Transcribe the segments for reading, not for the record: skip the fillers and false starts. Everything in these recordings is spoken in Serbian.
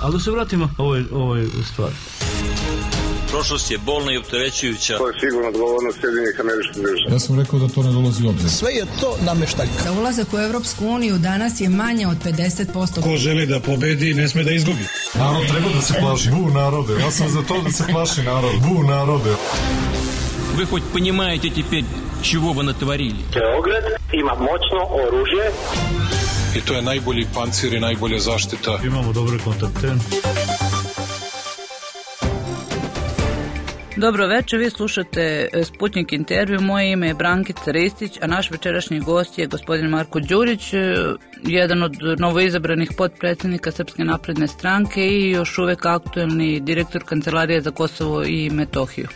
Ali da se vratimo ovoj stvari. Prošlost je bolna i opterećujuća. To je sigurno odgovornost Sjedinjenih Američkih Država. Ja sam rekao da to ne dolazi u obzir. Sve je to nameštaljka. Za ulazak u Evropsku uniju danas je manje od 50%. Ko želi da pobedi, ne sme da izgubi. Narod treba da se plaši. Bu narode. Ja sam za to da se plaši narod. Bu narode. Вы хоть понимаете теперь, чего вы натворили? Beograd ima moćno oružje. I to je najbolji pancir i najbolja zaštita. Imamo dobre kontakte. Dobro večer, vi slušate Sputnik intervju, moje ime je Brankica Ristić, a naš večerašnji gost je gospodin Marko Đurić, jedan od novoizabranih potpredsjednika Srpske napredne stranke i još uvek aktuelni direktor Kancelarije za Kosovo i Metohiju.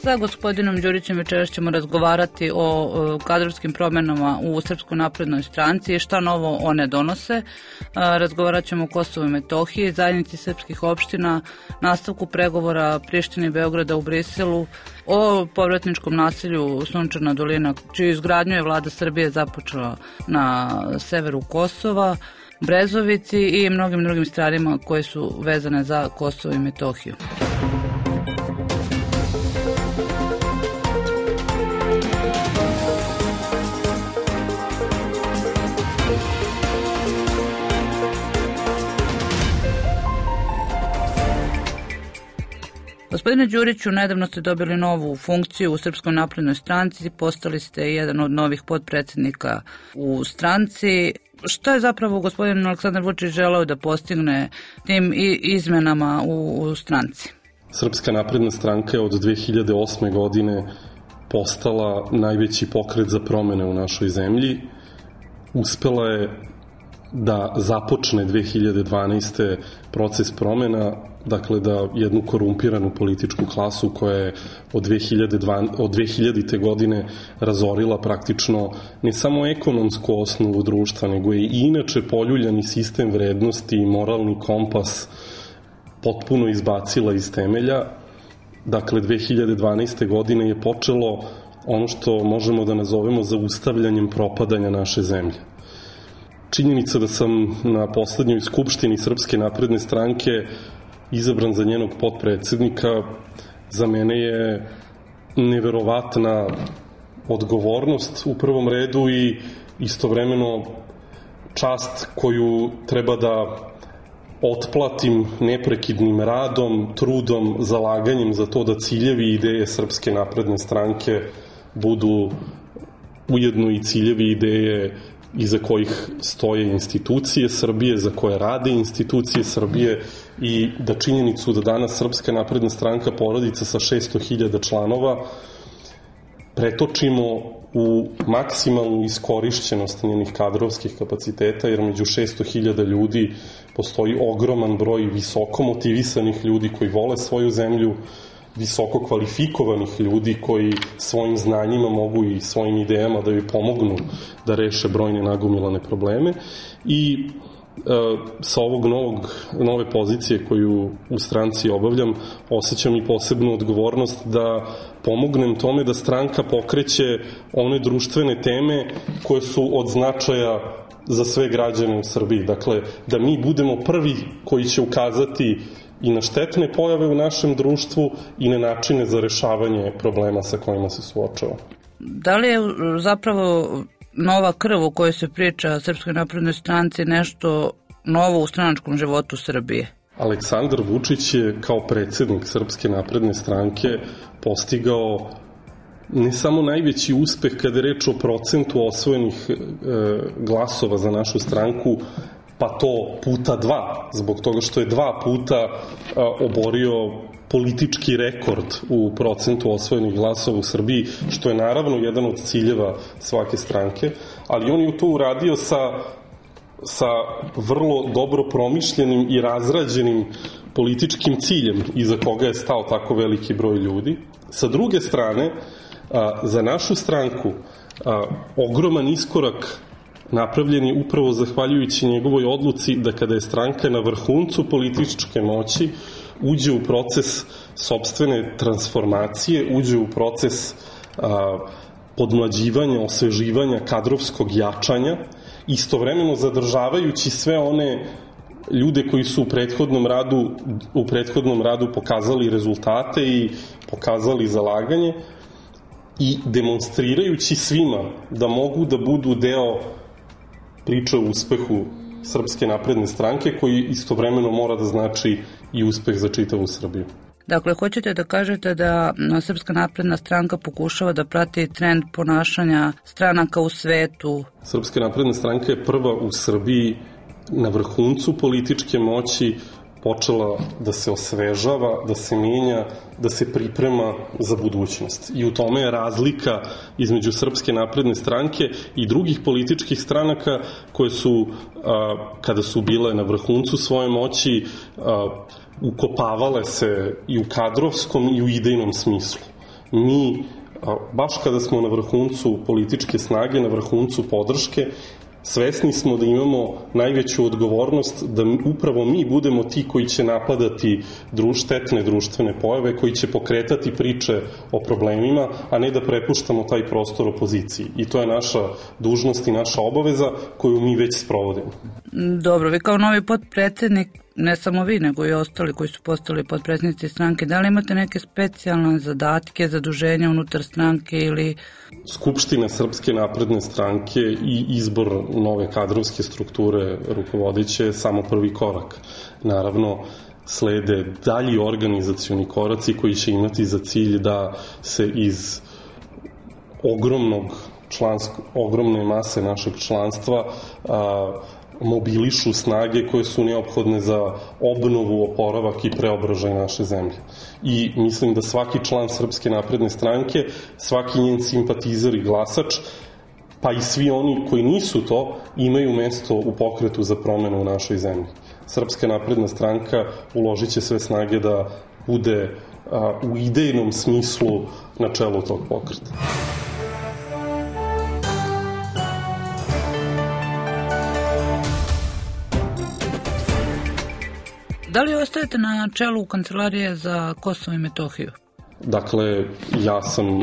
Sa gospodinom Đurićem večeras ćemo razgovarati o kadrovskim promjenama u Srpskoj naprednoj stranci i šta novo one donose. Razgovarat ćemo o Kosovu i Metohiji, zajednici srpskih opština, nastavku pregovora Prištine i Beograda u Briselu, o povratničkom naselju Sunčana dolina, čiju izgradnju je vlada Srbije započela na severu Kosova, Brezovici i mnogim drugim stvarima koje su vezane za Kosovo i Metohiju. Gospodine Đuriću, nedavno ste dobili novu funkciju u Srpskoj naprednoj stranci, postali ste jedan od novih potpredsjednika u stranci. Šta je zapravo gospodin Aleksandar Vučić želeo da postigne tim izmenama u stranci? Srpska napredna stranka je od 2008. godine postala najveći pokret za promene u našoj zemlji. Uspela je da započne 2012. proces promena, dakle da jednu korumpiranu političku klasu koja je od 2000. godine razorila praktično ne samo ekonomsku osnovu društva, nego je i inače poljuljani sistem vrednosti i moralni kompas potpuno izbacila iz temelja. Dakle, 2012. godine je počelo ono što možemo da nazovemo zaustavljanjem propadanja naše zemlje. Činjenica da sam na poslednjoj skupštini Srpske napredne stranke izabran za njenog potpredsjednika, za mene je neverovatna odgovornost u prvom redu i istovremeno čast koju treba da otplatim neprekidnim radom, trudom, zalaganjem za to da ciljevi i ideje Srpske napredne stranke budu ujedno i ciljevi i ideje iza kojih stoje institucije Srbije, za koje rade institucije Srbije i da činjenicu da danas Srpska napredna stranka porodica sa 600.000 članova pretočimo u maksimalnu iskorišćenost njenih kadrovskih kapaciteta, jer među 600.000 ljudi postoji ogroman broj visoko motivisanih ljudi koji vole svoju zemlju, visoko kvalifikovanih ljudi koji svojim znanjima mogu i svojim idejama da joj pomognu da reše brojne nagomilane probleme i sa ovog nove pozicije koju u stranci obavljam osjećam i posebnu odgovornost da pomognem tome da stranka pokreće one društvene teme koje su od značaja za sve građane u Srbiji. Dakle, da mi budemo prvi koji će ukazati i na štetne pojave u našem društvu i na načine za rešavanje problema sa kojima se suočava. Da li je zapravo nova krv o kojoj se priča Srpskoj naprednoj stranci nešto novo u stranačkom životu Srbije? Aleksandar Vučić je kao predsjednik Srpske napredne stranke postigao ne samo najveći uspeh kada je reč o procentu osvojenih glasova za našu stranku, pa to puta 2, zbog toga što je 2 puta oborio politički rekord u procentu osvojenih glasova u Srbiji, što je naravno jedan od ciljeva svake stranke, ali on je to uradio sa vrlo dobro promišljenim i razrađenim političkim ciljem iza koga je stao tako veliki broj ljudi. Sa druge strane, za našu stranku ogroman iskorak napravljen je upravo zahvaljujući njegovoj odluci da kada je stranka na vrhuncu političke moći uđe u proces sopstvene transformacije, uđe u proces podmlađivanja, osveživanja, kadrovskog jačanja, istovremeno zadržavajući sve one ljude koji su u prethodnom radu pokazali rezultate i pokazali zalaganje i demonstrirajući svima da mogu da budu deo priče o uspehu Srpske napredne stranke, koji istovremeno mora da znači i uspeh za čitavu Srbiju. Dakle, hoćete da kažete da Srpska napredna stranka pokušava da prati trend ponašanja stranaka u svetu? Srpska napredna stranka je prva u Srbiji na vrhuncu političke moći počela da se osvežava, da se menja, da se priprema za budućnost. I u tome je razlika između Srpske napredne stranke i drugih političkih stranaka koje su, kada su bile na vrhuncu svoje moći, ukopavale se i u kadrovskom i u idejnom smislu. Mi, baš kada smo na vrhuncu političke snage, na vrhuncu podrške, svesni smo da imamo najveću odgovornost da upravo mi budemo ti koji će napadati štetne društvene pojave, koji će pokretati priče o problemima, a ne da prepuštamo taj prostor opoziciji. I to je naša dužnost i naša obaveza koju mi već sprovodimo. Dobro, vi kao novi potpredsednik, ne samo vi, nego i ostali koji su postali potpredsednici stranke, da li imate neke specijalne zadatke, zaduženja unutar stranke ili... Skupština Srpske napredne stranke i izbor nove kadrovske strukture rukovodeće je samo prvi korak. Naravno, slede dalji organizacioni koraci koji će imati za cilj da se iz ogromne mase našeg članstva mobilišu snage koje su neophodne za obnovu, oporavak i preobražaj naše zemlje. I mislim da svaki član Srpske napredne stranke, svaki njen simpatizer i glasač, pa i svi oni koji nisu to, imaju mesto u pokretu za promenu u našoj zemlji. Srpska napredna stranka uložit će sve snage da bude u idejnom smislu na čelu tog pokreta. Da li ostajete na čelu Kancelarije za Kosovo i Metohiju? Dakle,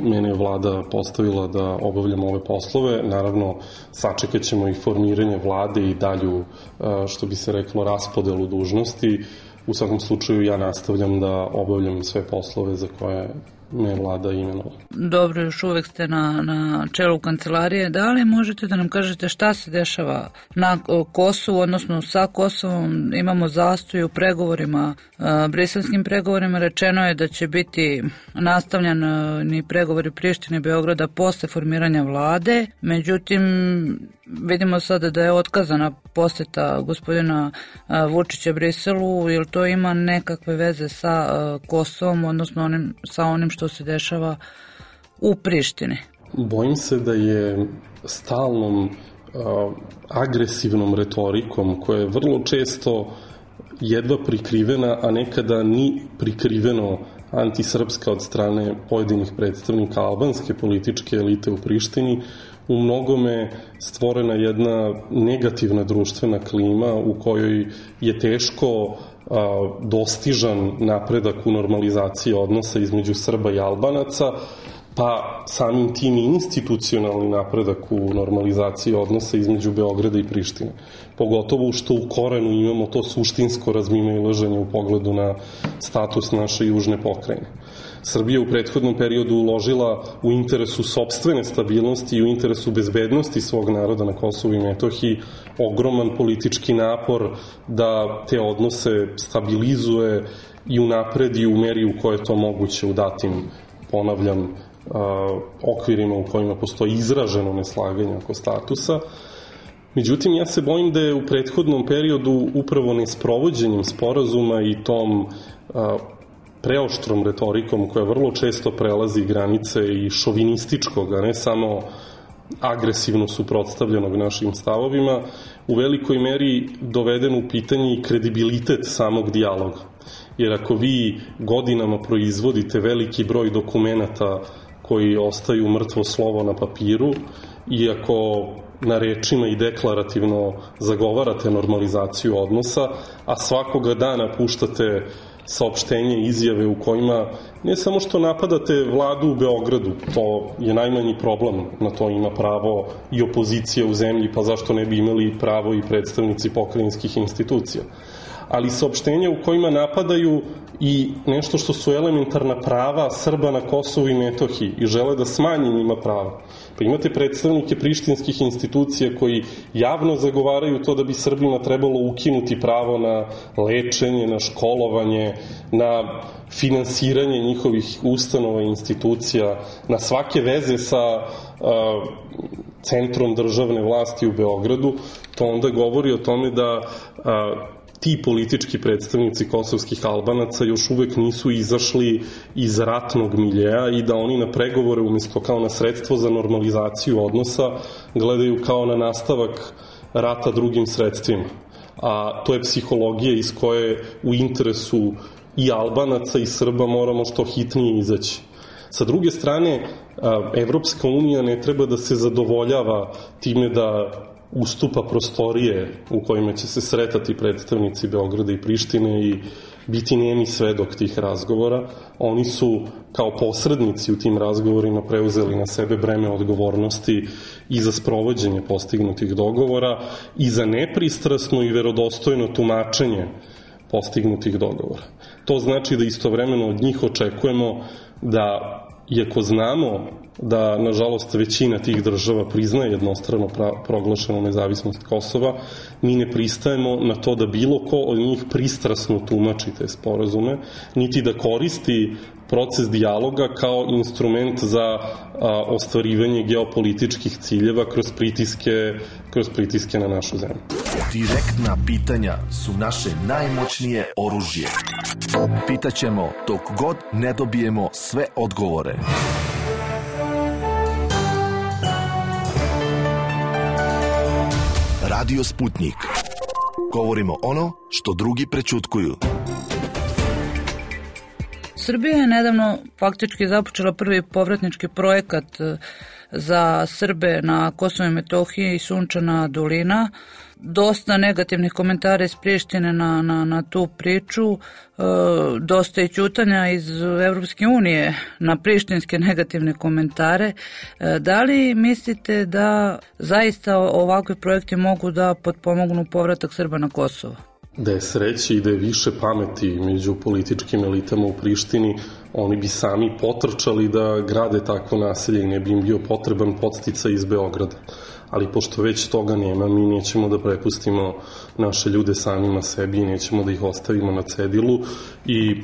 mene je vlada postavila da obavljam ove poslove. Naravno, sačekat ćemo i formiranje vlade i dalju, što bi se reklo, raspodelu dužnosti. U svakom slučaju ja nastavljam da obavljam sve poslove za koje me vlada imenovala. Dobro, još uvek ste na čelu kancelarije. Da li možete da nam kažete šta se dešava na Kosovu, odnosno sa Kosovom? Imamo zastoj u pregovorima, briselskim pregovorima. Rečeno je da će biti nastavljeni pregovori Prištine i Beograda posle formiranja vlade. Međutim, vidimo sada da je otkazana poseta gospodina Vučića Briselu. Jel to ima nekakve veze sa Kosovom, odnosno sa onim što se dešava u Prištini? Bojim se da je stalnom agresivnom retorikom, koja je vrlo često jedva prikrivena, a nekada ni prikriveno antisrpska od strane pojedinih predstavnika albanske političke elite u Prištini, u mnogome stvorena jedna negativna društvena klima u kojoj je teško dostižan napredak u normalizaciji odnosa između Srba i Albanaca, pa samim tim i institucionalni napredak u normalizaciji odnosa između Beograda i Prištine. Pogotovo što u korenu imamo to suštinsko razmimoilaženje u pogledu na status naše južne pokrajine. Srbija u prethodnom periodu uložila u interesu sopstvene stabilnosti i u interesu bezbednosti svog naroda na Kosovu i Metohiji ogroman politički napor da te odnose stabilizuje i unapredi u meri u kojoj je to moguće u datim, ponavljam, okvirima u kojima postoji izraženo neslaganje oko statusa. Međutim, ja se bojim da je u prethodnom periodu upravo nesprovođenjem sporazuma i tom preoštrom retorikom koja vrlo često prelazi granice i šovinističkog, a ne samo agresivno suprotstavljenog našim stavovima, u velikoj meri doveden u pitanje i kredibilitet samog dijaloga. Jer ako vi godinama proizvodite veliki broj dokumenata koji ostaju mrtvo slovo na papiru i ako na rečima i deklarativno zagovarate normalizaciju odnosa, a svakoga dana puštate saopštenje i izjave u kojima Ne samo što napadate vladu u Beogradu, to je najmanji problem, na to ima pravo i opozicija u zemlji, pa zašto ne bi imali pravo i predstavnici pokrajinskih institucija. Ali saopštenja u kojima napadaju i nešto što su elementarna prava Srba na Kosovu i Metohiji i žele da smanje njima prava. Pa imate predstavnike prištinskih institucija koji javno zagovaraju to da bi Srbima trebalo ukinuti pravo na lečenje, na školovanje, na finansiranje njihovih ustanova i institucija, na svake veze sa centrom državne vlasti u Beogradu. To onda govori o tome da ti politički predstavnici kosovskih Albanaca još uvek nisu izašli iz ratnog miljeja i da oni na pregovore umesto kao na sredstvo za normalizaciju odnosa gledaju kao na nastavak rata drugim sredstvima. A to je psihologija iz koje u interesu i Albanaca i Srba moramo što hitnije izaći. Sa druge strane, Evropska unija ne treba da se zadovoljava time da ustupa prostorije u kojima će se sretati predstavnici Beograda i Prištine i biti nemi svedok tih razgovora. Oni su kao posrednici u tim razgovorima preuzeli na sebe breme odgovornosti i za sprovođenje postignutih dogovora i za nepristrasno i verodostojno tumačenje postignutih dogovora. To znači da istovremeno od njih očekujemo da, iako znamo da, nažalost, većina tih država priznaje jednostrano proglašenu nezavisnost Kosova, mi ne pristajemo na to da bilo ko od njih pristrasno tumači te sporazume, niti da koristi proces dijaloga kao instrument za ostvarivanje geopolitičkih ciljeva kroz pritiske na našu zemlju. Direktna pitanja su naše najmoćnije oružje. Pitaćemo dok god ne dobijemo sve odgovore. Radio Sputnik. Govorimo ono što drugi prećutkuju. Srbija je nedavno faktički započela prvi povratnički projekat za Srbe na Kosovu i Metohiji i Sunčana dolina. Dosta negativnih komentara iz Prištine na tu priču, dosta i ćutanja iz Evropske unije na prištinske negativne komentare. Da li mislite da zaista ovakvi projekti mogu da potpomognu povratak Srba na Kosovo? Da je sreće i da je više pameti među političkim elitama u Prištini, oni bi sami potrčali da grade takvo naselje i ne bi im bio potreban podsticaj iz Beograda. Ali pošto već toga nema, mi nećemo da prepustimo naše ljude samima sebi i nećemo da ih ostavimo na cedilu i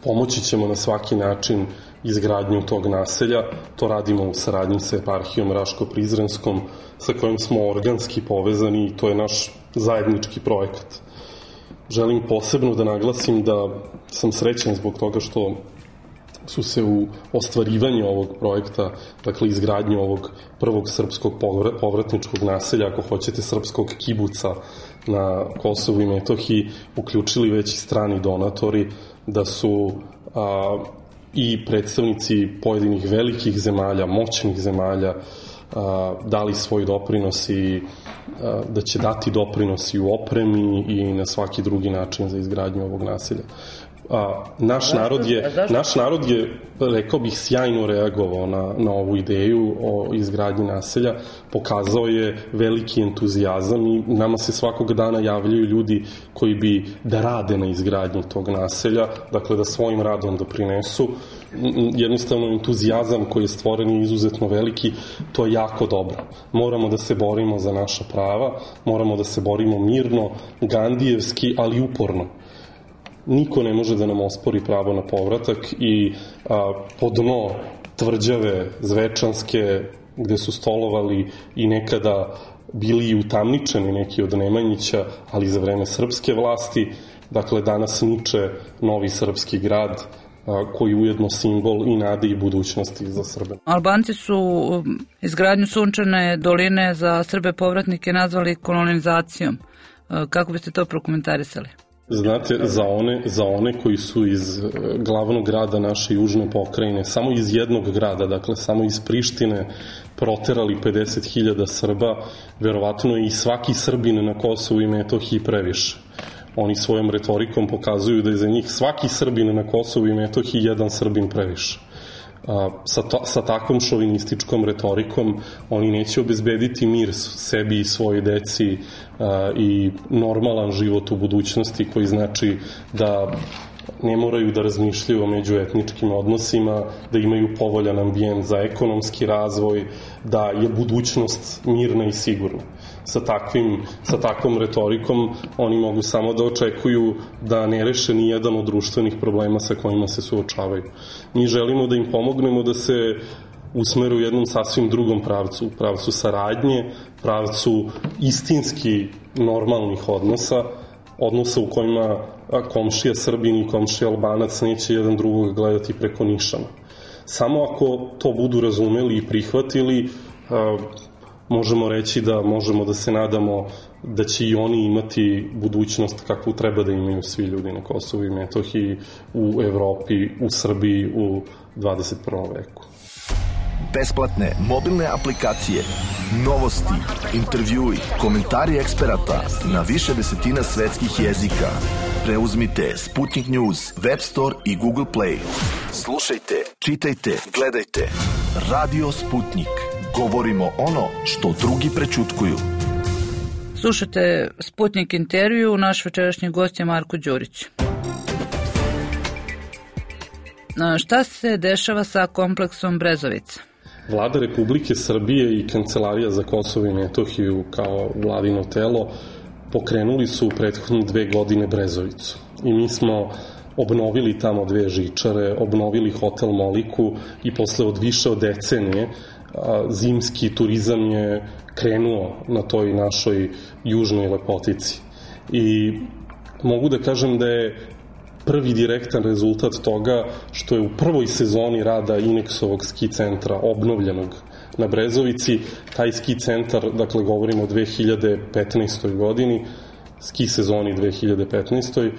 pomoći ćemo na svaki način izgradnju tog naselja. To radimo u saradnji sa eparhijom Raško-Prizrenskom, sa kojim smo organski povezani i to je naš zajednički projekat. Želim posebno da naglasim da sam srećan zbog toga što su se u ostvarivanju ovog projekta, dakle izgradnju ovog prvog srpskog povratničkog naselja, ako hoćete srpskog kibuca na Kosovu i Metohiji, uključili već i strani donatori, da su i predstavnici pojedinih velikih zemalja, moćnih zemalja, dali svoj doprinos i da će dati doprinos i u opremi i na svaki drugi način za izgradnju ovog naselja. Naš narod je, rekao bih, sjajno reagovao na ovu ideju o izgradnji naselja, pokazao je veliki entuzijazam i nama se svakog dana javljaju ljudi koji bi da rade na izgradnji tog naselja, dakle da svojim radom doprinesu. Jednostavno entuzijazam koji je stvoren je izuzetno veliki, to je jako dobro. Moramo da se borimo za naša prava, moramo da se borimo mirno, gandijevski, ali uporno. Niko ne može da nam ospori pravo na povratak i po dno tvrđave Zvečanske, gde su stolovali i nekada bili i utamničeni neki od Nemanjića, ali za vreme srpske vlasti, dakle danas niče novi srpski grad koji ujedno simbol i nade i budućnosti za Srbe. Albanci su izgradnju Sunčane doline za Srbe povratnike nazvali kolonizacijom. Kako biste to prokomentarisali? Znate, za one koji su iz glavnog grada naše južne pokrajine, samo iz jednog grada, dakle samo iz Prištine, proterali 50.000 Srba, verovatno i svaki Srbin na Kosovu i Metohiji previše. Oni svojom retorikom pokazuju da je za njih svaki Srbin na Kosovu i Metohiji jedan Srbin previše. Sa takvom šovinističkom retorikom oni neće obezbediti mir sebi i svojoj deci i normalan život u budućnosti, koji znači da ne moraju da razmišljaju o međuetničkim odnosima, da imaju povoljan ambijent za ekonomski razvoj, da je budućnost mirna i sigurna. Sa takvom retorikom oni mogu samo da očekuju da ne reše ni jedan od društvenih problema sa kojima se suočavaju. Mi želimo da im pomognemo da se usmeru u jednom sasvim drugom pravcu, pravcu saradnje, pravcu istinski normalnih odnosa u kojima komšija Srbin i komšija Albanac neće jedan drugog gledati preko nišana. Samo ako to budu razumeli i prihvatili, možemo reći da možemo da se nadamo da će i oni imati budućnost kakvu treba da imaju svi ljudi na Kosovu i Metohiji, u Evropi, u Srbiji, u 21. veku. Besplatne mobilne aplikacije, novosti, intervjui, komentari eksperata na više desetina svetskih jezika. Preuzmite Sputnik News, Web Store i Google Play. Slušajte, čitajte, gledajte. Radio Sputnik. Govorimo ono što drugi prećutkuju. Slušajte Sputnik intervju, naš večerašnji gost je Marko Đurić. Šta se dešava sa kompleksom Brezovica? Vlada Republike Srbije i Kancelarija za Kosovo i Metohiju kao vladino telo pokrenuli su u prethodne 2 godine Brezovicu. I mi smo obnovili tamo 2 žičare, obnovili hotel Moliku i posle više od decenije zimski turizam je krenuo na toj našoj južnoj lepotici. I mogu da kažem da je prvi direktan rezultat toga što je u prvoj sezoni rada Inexovog ski centra obnovljenog na Brezovici, taj ski centar, dakle govorimo o 2015. godini, ski sezoni 2015.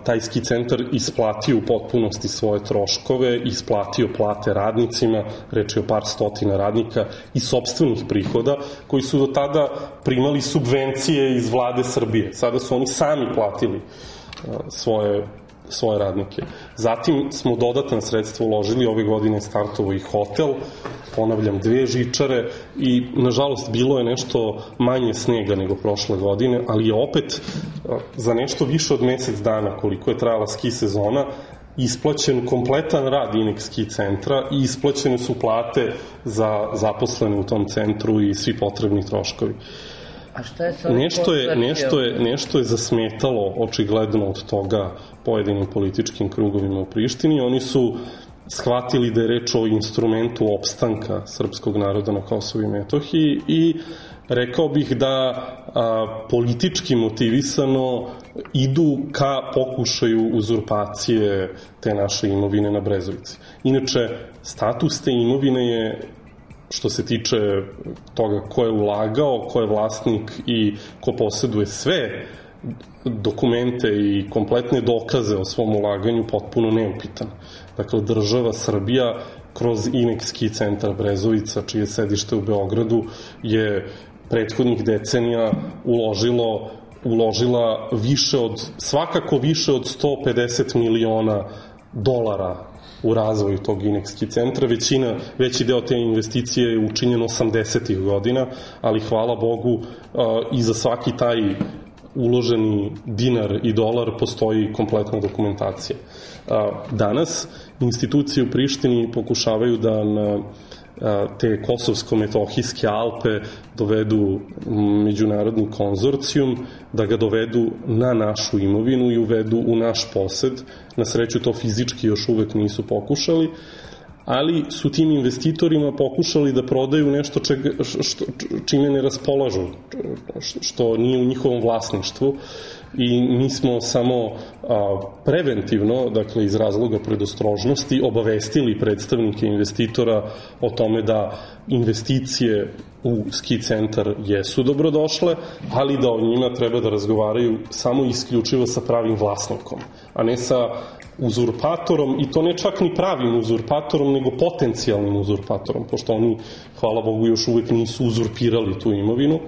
Taj ski centar isplatio u potpunosti svoje troškove, isplatio plate radnicima, reč je o par stotina radnika, i sopstvenih prihoda koji su do tada primali subvencije iz vlade Srbije. Sada su oni sami platili svoje radnike. Zatim smo dodatna sredstva uložili, ove godine startovo i hotel, ponavljam 2 žičare i nažalost bilo je nešto manje snega nego prošle godine, ali je opet za nešto više od mesec dana koliko je trajala ski sezona isplaćen kompletan rad Inex ski centra i isplaćene su plate za zaposlene u tom centru i svi potrebni troškovi. Nešto je zasmetalo očigledno od toga pojedinim političkim krugovima u Prištini. Oni su shvatili da je reč o instrumentu opstanka srpskog naroda na Kosovu i Metohiji i rekao bih da politički motivisano idu ka pokušaju uzurpacije te naše imovine na Brezovici. Inače, status te imovine je, što se tiče toga ko je ulagao, ko je vlasnik i ko posjeduje sve dokumente i kompletne dokaze o svom ulaganju, potpuno neupitan. Dakle, država Srbija kroz Inex ski centar Brezovica, čije sedište u Beogradu, je prethodnih decenija uložila svakako više od 150 miliona dolara u razvoju tog Inex ski centra. Veći deo te investicije je učinjen 80-ih godina, ali hvala Bogu i za svaki taj uloženi dinar i dolar postoji kompletna dokumentacija. Danas institucije u Prištini pokušavaju da na te kosovsko-metohijske Alpe dovedu međunarodni konzorcijum, da ga dovedu na našu imovinu i uvedu u naš posed. Na sreću to fizički još uvek nisu pokušali, ali su tim investitorima pokušali da prodaju nešto čime ne raspolažu, što nije u njihovom vlasništvu, i mi smo samo preventivno, dakle iz razloga predostrožnosti, obavestili predstavnike investitora o tome da investicije u ski centar jesu dobrodošle, ali da o njima treba da razgovaraju samo isključivo sa pravim vlasnikom, a ne sa uzurpatorom, i to ne čak ni pravim uzurpatorom, nego potencijalnim uzurpatorom, pošto oni, hvala Bogu, još uvek nisu uzurpirali tu imovinu.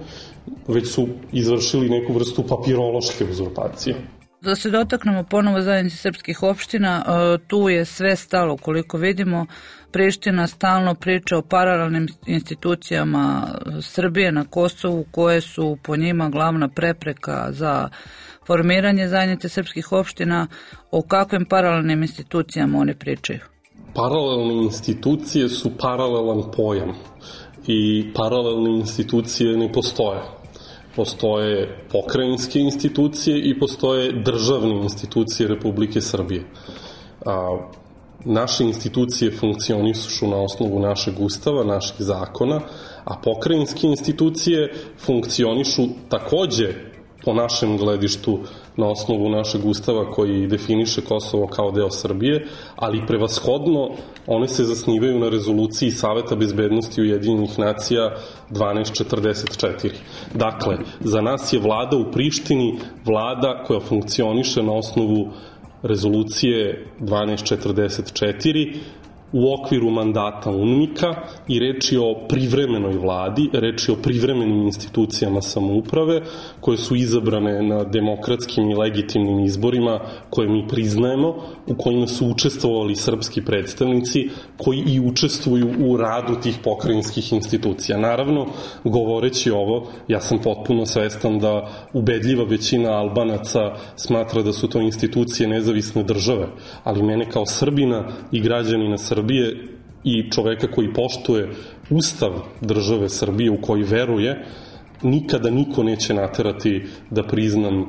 već su izvršili neku vrstu papirološke uzurpacije. Da se dotaknemo ponovo zajednice srpskih opština, tu je sve stalo, koliko vidimo. Priština stalno priča o paralelnim institucijama Srbije na Kosovu, koje su po njima glavna prepreka za formiranje zajednice srpskih opština. O kakvim paralelnim institucijama oni pričaju? Paralelne institucije su paralelan pojam i paralelne institucije ne postoje. Postoje pokrajinske institucije i postoje državne institucije Republike Srbije. Naše institucije funkcionišu na osnovu našeg ustava, naših zakona, a pokrajinske institucije funkcionišu takođe po našem gledištu na osnovu našeg ustava koji definiše Kosovo kao deo Srbije, ali prevashodno one se zasnivaju na rezoluciji Saveta bezbednosti Ujedinjenih nacija 1244. Dakle, za nas je vlada u Prištini vlada koja funkcioniše na osnovu rezolucije 1244 u okviru mandata UNMIK-a i reč je o privremenoj vladi, reč je o privremenim institucijama samouprave koje su izabrane na demokratskim i legitimnim izborima koje mi priznajemo, u kojima su učestvovali srpski predstavnici koji i učestvuju u radu tih pokrajinskih institucija. Naravno, govoreći ovo, ja sam potpuno svestan da ubedljiva većina Albanaca smatra da su to institucije nezavisne države, ali mene kao Srbina i građanina Srbije i čoveka koji poštuje ustav države Srbije u koji veruje, nikada niko neće naterati da priznam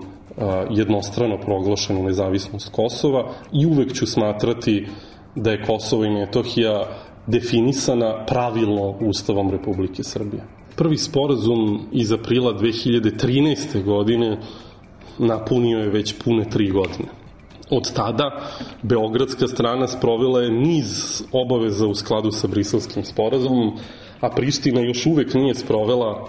jednostrano proglašenu nezavisnost Kosova i uvek ću smatrati da je Kosovo i Metohija definisana pravilno Ustavom Republike Srbije. Prvi sporazum iz aprila 2013. godine napunio je već pune 3 godine. Od tada beogradska strana sprovela je niz obaveza u skladu sa Briselskim sporazumom, a Priština još uvek nije sprovela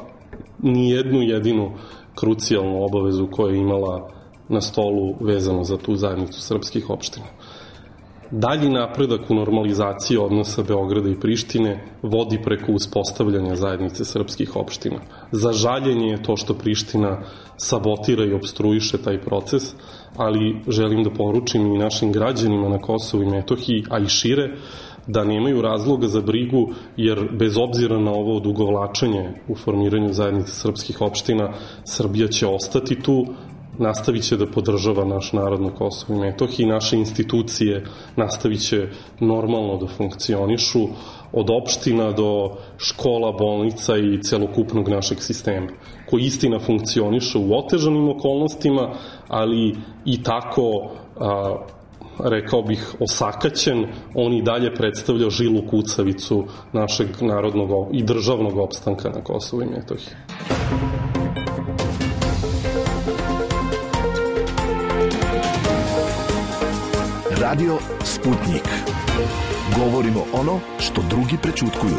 ni jednu jedinu krucijalnu obavezu koju je imala na stolu vezano za tu zajednicu srpskih opština. Dalji napredak u normalizaciji odnosa Beograda i Prištine vodi preko uspostavljanja zajednice srpskih opština. Za žaljenje je to što Priština sabotira i obstruiše taj proces, ali želim da poručim i našim građanima na Kosovu i Metohiji, a i šire, da nemaju razloga za brigu, jer bez obzira na ovo odugovlačenje u formiranju zajednice srpskih opština, Srbija će ostati tu, nastavit će da podržava naš narod na Kosovu i Metohiji, naše institucije nastavit će normalno da funkcionišu, od opština do škola, bolnica i celokupnog našeg sistema, koji istina funkcioniše u otežanim okolnostima, ali i tako, rekao bih, osakaćen, on i dalje predstavlja žilu kucavicu našeg narodnog i državnog opstanka na Kosovu i Metohiji. Radio Sputnik. Govorimo ono što drugi prećutkuju.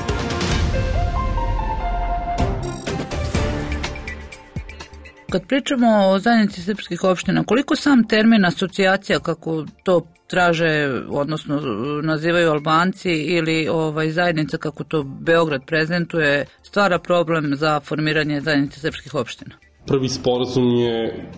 Kad pričamo o zajednici srpskih opština, koliko sam termin asocijacija, kako to traže, odnosno nazivaju Albanci, ili zajednica, kako to Beograd prezentuje, stvara problem za formiranje zajednice srpskih opština? Prvi sporazum je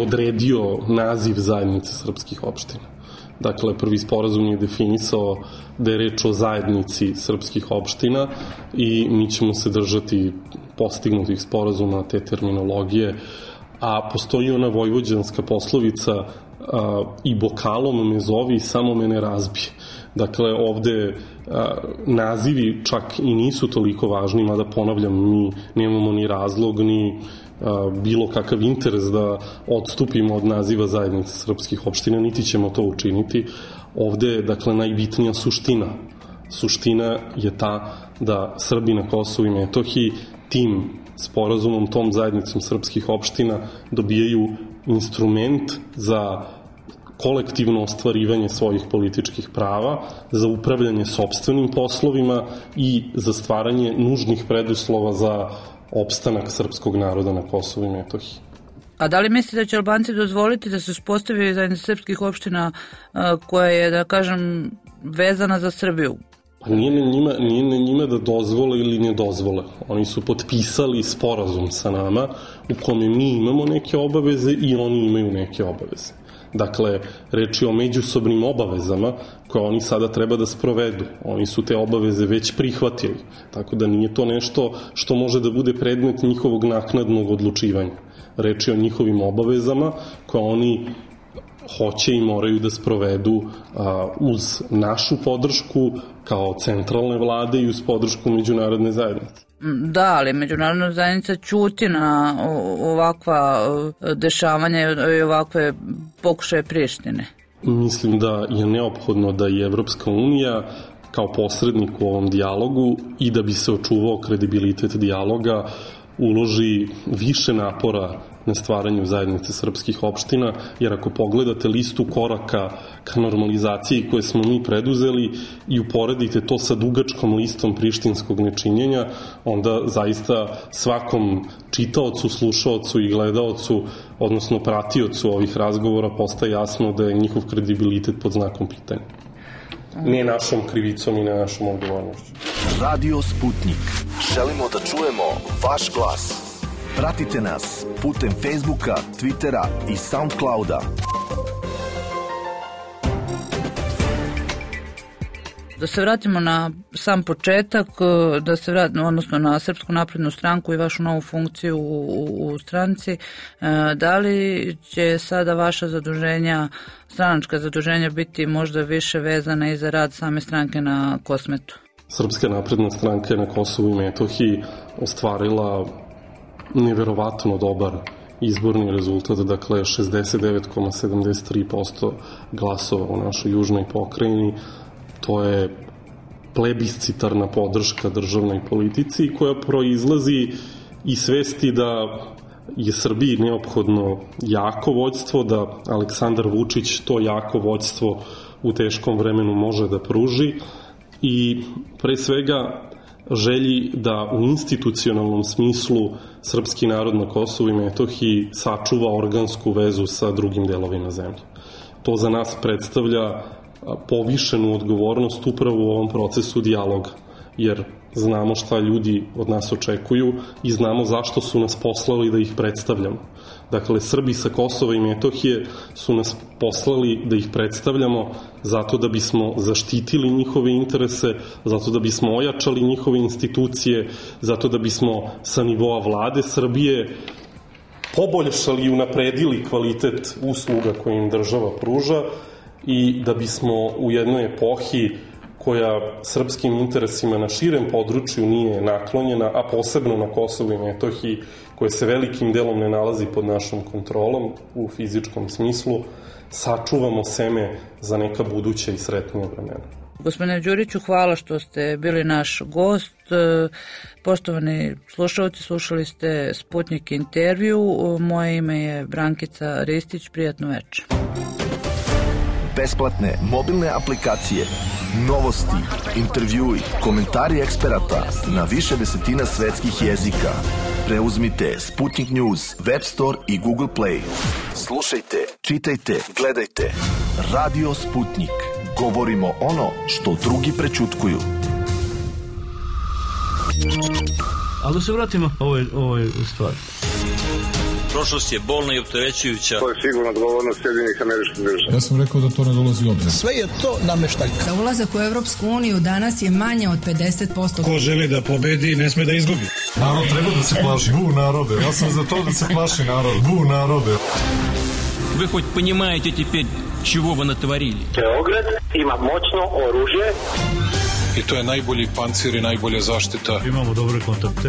odredio naziv zajednice srpskih opština. Dakle, prvi sporazum je definisao da je reč o zajednici srpskih opština i mi ćemo se držati postignutih sporazuma te terminologije, a postoji ona vojvođanska poslovica i bokalom me zovi, samo me ne razbije. Dakle, ovde nazivi čak i nisu toliko važni, mada ponavljam, mi nemamo ni razlog, ni bilo kakav interes da odstupimo od naziva zajednice srpskih opština, niti ćemo to učiniti. Ovde je, dakle, najbitnija suština. Suština je ta da Srbi na Kosovu i Metohiji tim sporazumom, tom zajednicom srpskih opština dobijaju instrument za kolektivno ostvarivanje svojih političkih prava, za upravljanje sopstvenim poslovima i za stvaranje nužnih preduslova za opstanak srpskog naroda na Kosovu i Metohiji. A da li mislite da će Albanci dozvoliti da se uspostavi zajednica srpskih opština koja je, da kažem, vezana za Srbiju? Pa nije na njima da dozvole ili ne dozvole. Oni su potpisali sporazum sa nama u kome mi imamo neke obaveze i oni imaju neke obaveze. Dakle, reč je o međusobnim obavezama koje oni sada treba da sprovedu. Oni su te obaveze već prihvatili. Tako da nije to nešto što može da bude predmet njihovog naknadnog odlučivanja. Reč je o njihovim obavezama koje oni hoće i moraju da sprovedu uz našu podršku kao centralne vlade i uz podršku međunarodne zajednice. Da, ali međunarodna zajednica ćuti na ovakva dešavanja i ovakve pokušaje Prištine. Mislim da je neophodno da i Evropska unija kao posrednik u ovom dijalogu i da bi se očuvao kredibilitet dijaloga uloži više napora na stvaranju zajednice srpskih opština, jer ako pogledate listu koraka ka normalizaciji koje smo mi preduzeli i uporedite to sa dugačkom listom prištinskog nečinjenja, onda zaista svakom čitaocu, slušaocu i gledaocu, odnosno pratiocu ovih razgovora postaje jasno da je njihov kredibilitet pod znakom pitanja. Ne našom krivicom i ne našom odgovornošću. Radio Sputnik. Želimo da čujemo vaš glas. Pratite nas putem Facebooka, Twittera i Soundclouda. Da se vratimo na sam početak, da se vratimo, odnosno na Srpsku naprednu stranku i vašu novu funkciju u stranci. Da li će sada vaša zaduženja, stranačka zaduženja, biti možda više vezana i za rad same stranke na Kosmetu? Srpska napredna stranka je na Kosovu i Metohiji ostvarila neverovatno dobar izborni rezultat, dakle 69,73% glasova u našoj južnoj pokrajini. To je plebiscitarna podrška državnoj politici koja proizlazi iz svesti da je Srbiji neophodno jako vođstvo, da Aleksandar Vučić to jako vođstvo u teškom vremenu može da pruži i pre svega želji da u institucionalnom smislu srpski narod na Kosovu i Metohiji sačuva organsku vezu sa drugim delovima zemlje. To za nas predstavlja povišenu odgovornost upravo u ovom procesu dijaloga, jer znamo šta ljudi od nas očekuju i znamo zašto su nas poslali da ih predstavljamo. Dakle, Srbi sa Kosova i Metohije su nas poslali da ih predstavljamo zato da bismo zaštitili njihove interese, zato da bismo ojačali njihove institucije, zato da bismo sa nivoa vlade Srbije poboljšali i unapredili kvalitet usluga koje im država pruža i da bismo u jednoj epohi koja srpskim interesima na širem području nije naklonjena, a posebno na Kosovu i Metohiji, koje se velikim delom ne nalazi pod našom kontrolom u fizičkom smislu, sačuvamo seme za neka buduća i sretnija vremena. Gospodine Đuriću, hvala što ste bili naš gost. Poštovani slušalci, slušali ste Sputnik intervju. Moje ime je Brankica Ristić. Prijatno večer. Besplatne mobilne aplikacije, novosti, intervjui, komentari eksperata na više desetina svetskih jezika. Preuzmite Sputnik News, Web Store i Google Play. Slušajte, čitajte, gledajte. Radio Sputnik. Govorimo ono što drugi prećutkuju. Ali da se vratimo ovoj stvari. Prošlost je bolna i opterećujuća. To je sigurno odgovornost Sjedinjenih Američkih Država. Ja sam rekao da to ne dolazi u obzir. Sve je to nameštaljka. Za ulazak u Evropsku uniju danas je manje od 50%. Ko želi da pobedi, ne sme da izgubi. Narod treba da se plaši. Bu narode. Ja sam za to da se plaši narod. Bu narode. Вы хоть понимаете теперь, чего вы натворили? Beograd ima moćno oružje. I to je najbolji pancir i najbolja zaštita. Imamo dobre kontakte.